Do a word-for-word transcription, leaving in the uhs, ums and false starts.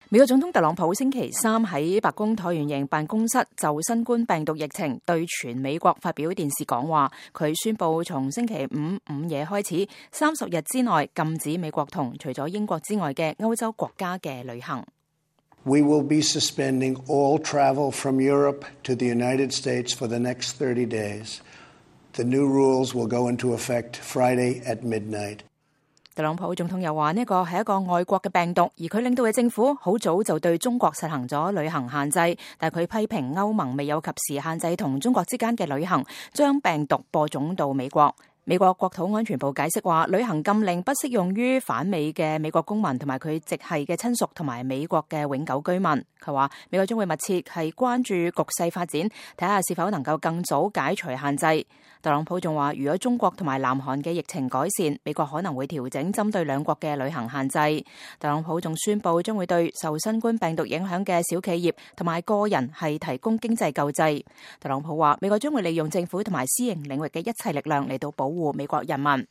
美國總統特朗普星期三喺白宮橢圓形辦公室就新冠病毒疫情對全美國發表電視講話。佢宣布從星期五午夜開始，三十日之內禁止美國同除咗英國之外嘅歐洲國家嘅旅行。We will be suspending all travel from Europe to the United States for the next thirty days. The new rules will go into effect Friday at midnight. 特朗普總統又話呢個係一個外國嘅病毒，而佢領導嘅政府好早就對中國實行咗旅行限制，但佢批評歐盟未有及時限制同中國之間嘅旅行，將病毒播種到美國。美國國土安全部解釋話，旅行禁令不適用於反美嘅美國公民同埋佢直系嘅親屬同埋美國嘅永久居民。佢話美國將會密切係關注局勢發展，睇下是否能夠更早解除限制。特朗普仲話，如果中國同埋南韓嘅疫情改善，美國可能會調整針對兩國嘅旅行限制。特朗普仲宣布將會對受新冠病毒影響嘅小企業同埋個人係提供經濟救濟。特朗普話，美國將會利用政府同埋私營領域嘅一切力量嚟到保護美國人民。